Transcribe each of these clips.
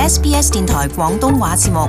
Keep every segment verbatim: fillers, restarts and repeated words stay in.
S B S 電台廣東話節目。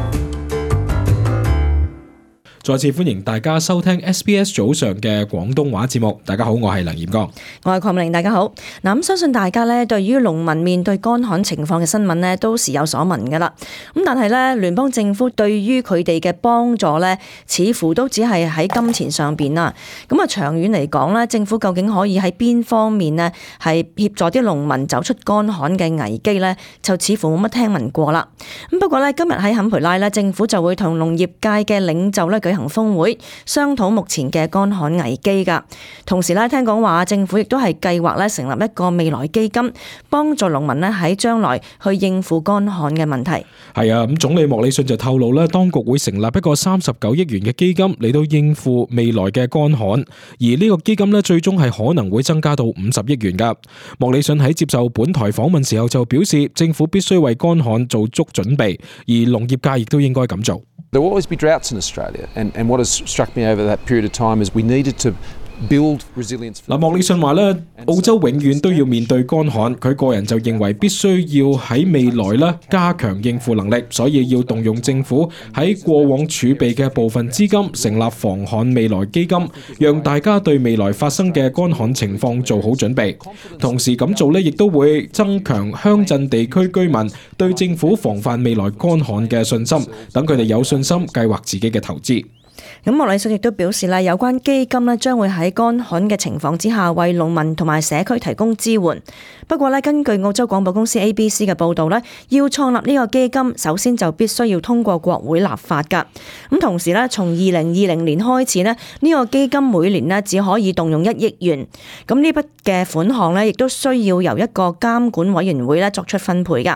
再次歡迎大家收聽 S B S 早上嘅廣東話節目。大家好，我係梁炎剛，我係鄺明玲。大家好。嗱，咁相信大家咧對於農民面對乾旱情況嘅新聞咧都時有所聞噶啦。咁但係咧聯邦政府對於佢哋嘅幫助咧，似乎都只係喺金錢上邊啦。咁啊，長遠嚟講咧，政府究竟可以喺邊方面呢係協助啲農民走出乾旱嘅危機咧，就似乎冇乜聽聞過啦。咁不過咧，今日喺坎培拉咧，政府就會同農業界嘅領袖咧舉行峰會，商討目前嘅乾旱危機噶。同時咧，聽講話政府亦都係計劃咧成立一個未來基金，幫助農民咧喺將來去應付乾旱嘅問題。係啊，咁總理莫里遜就透露咧，當局會成立一個三十九億元嘅基金嚟到應付未來嘅乾旱，而呢個基金咧最終係可能會增加到五十億元噶。莫里遜喺接受本台訪問時候就表示，政府必須為乾旱做足準備，而農業界亦都應該咁做。There will always be droughts in Australia, and, and what has struck me over that period of time is we needed to build resilience. 嗱，莫里遜話咧，澳洲永遠都要面對乾旱，佢個人就認為必須要喺未來咧加強應付能力，所以要動用政府喺過往儲備嘅部分資金，成立防旱未來基金，讓大家對未來發生嘅乾旱情況做好準備。同時咁做咧，亦都會增強鄉鎮地區居民對政府防範未來乾旱嘅信心，等佢哋有信心計劃自己嘅投資。咁莫里遜亦都表示咧，有關基金咧將會喺乾旱嘅情況之下，為農民同埋社區提供支援。不過咧，根據澳洲廣播公司 A B C 嘅報導咧，要創立呢個基金，首先就必須要通過國會立法㗎。咁同時咧，從二零二零年開始咧，呢個基金每年咧只可以動用一億元。咁呢筆嘅款項咧，亦都需要由一個監管委員會咧作出分配㗎。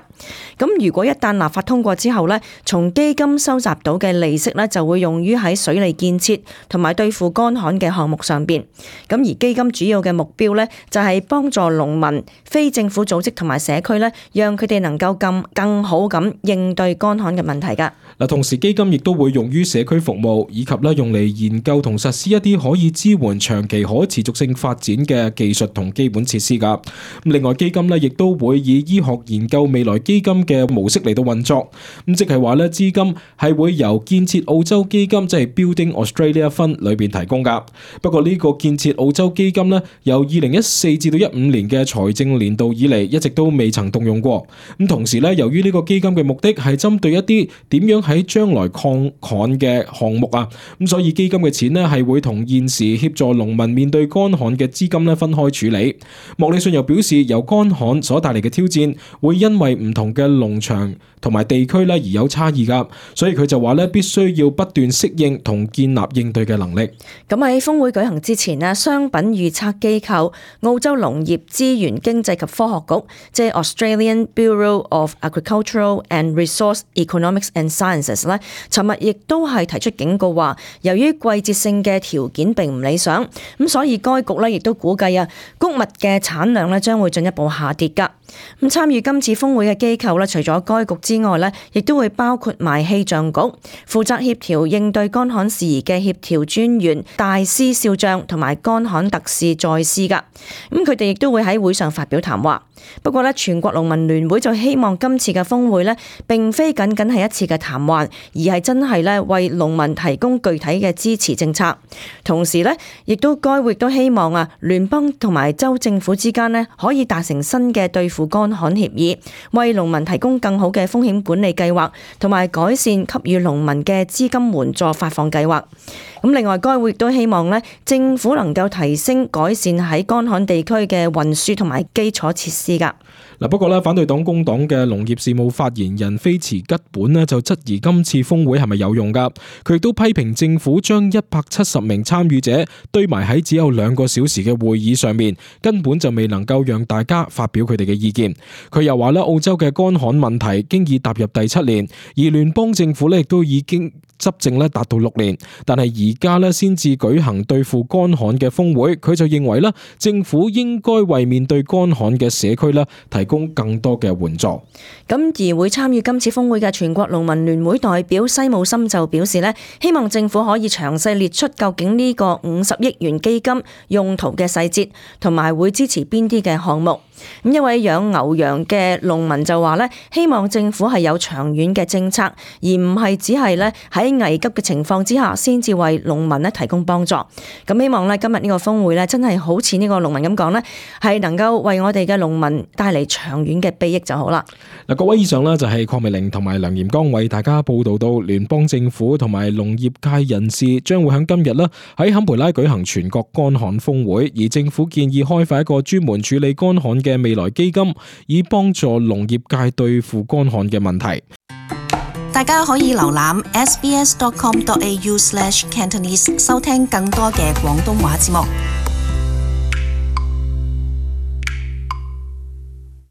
咁如果一旦立法通過之後咧，從基金收集到嘅利息咧，就會用於喺水利建設同埋對付乾旱嘅項目上邊。咁而基金主要嘅目標咧，就係幫助農民、非政府組織同埋社區咧，讓佢哋能夠更更好咁應對乾旱嘅問題噶。嗱，同時基金亦都會用於社區服務，以及咧用嚟研究同實施一啲可以支援長期可持續性發展嘅技術同基本設施噶。咁另外基金咧亦都會以醫學研究未來基金嘅模式嚟到運作。咁即係話咧，資金係會由建設澳洲基金，即係 Building Australia Fund 裏邊提供噶。不過呢個建設澳洲基金咧，由二零一四至到一五年嘅財政年度以嚟，一直都未曾動用過。咁同時咧，由於呢個基金嘅目的係針對一啲點樣喺將來抗旱嘅項目啊，咁所以基金嘅錢咧係會同現時協助農民面對乾旱嘅資金咧分開處理。莫里遜又表示，由乾旱所帶嚟嘅挑戰會因為唔同嘅農場同埋地區咧而有差異噶，所以佢就話咧必須要不斷適應同建立應對嘅能力。咁喺峰會舉行之前咧，商品預測機構澳洲農業資源經濟及科學局，即係 Australian Bureau of Agricultural and Resource Economics and Sciences 咧，尋日亦都係提出警告話，由於季節性嘅條件並唔理想，咁所以該局咧亦都估計啊，穀物嘅產量咧將會進一步下跌㗎。咁參與今次峰會嘅機構咧，除咗該局之外咧，亦都會包括埋氣象局，負責協調應對乾旱事宜嘅協調專員戴斯少將同埋乾旱特使在斯噶。咁佢哋亦都會喺會上發表談話。不過咧，全國農民聯會就希望今次嘅峰會咧，並非僅僅係一次嘅談話，而係真係咧為農民提供具體嘅支持政策。同時咧，亦都該會亦都希望啊，聯邦同埋州政府之間咧可以達成新嘅對付乾旱協議，為農民提供更好嘅風險管理計劃，同埋改善給予農民嘅資金援助發放計劃。咁另外，該會亦都希望咧，政府能夠提升改善喺乾旱地區嘅運輸同埋基礎設施噶。嗱，不過咧，反對黨工黨嘅農業事務發言人菲茨吉本咧就質疑今次峰會係咪有用噶？佢亦都批評政府將一百七十名參與者堆埋喺只有兩個小時嘅會議上面，根本就未能夠讓大家發表佢哋嘅意見。佢又話咧，澳洲嘅乾旱問題經已踏入第七年，而聯邦政府咧亦都已經執政咧達到六年，但係而家咧先至舉行對付乾旱嘅峰會，佢就認為咧政府應該為面對乾旱嘅社區咧提供更多嘅援助。咁而會參與今次峰會嘅全國農民聯會代表西姆森就表示咧，希望政府可以詳細列出究竟呢個五十億元基金用途嘅細節，同埋會支持邊啲嘅項目。咁一位養牛羊嘅農民就話咧，希望政府係有長遠嘅政策，而唔係只係咧喺危急嘅情況之下先至為農民咧提供幫助。咁希望咧今日呢個峰會咧真係好似呢個農民咁講咧，係能夠為我哋嘅農民帶嚟長遠嘅裨益就好啦。嗱，各位以上咧就係鄺美玲同埋梁炎剛為大家報道到聯邦政府同埋農業界人士將會喺今日咧喺坎培拉舉行全國乾旱峰會，而政府建議開發一個專門處理乾旱嘅未來基金，以幫助農業界對付乾旱嘅問題。大家可以瀏覽 s b s dot com dot a u slash cantonese 收聽更多嘅廣東話節目。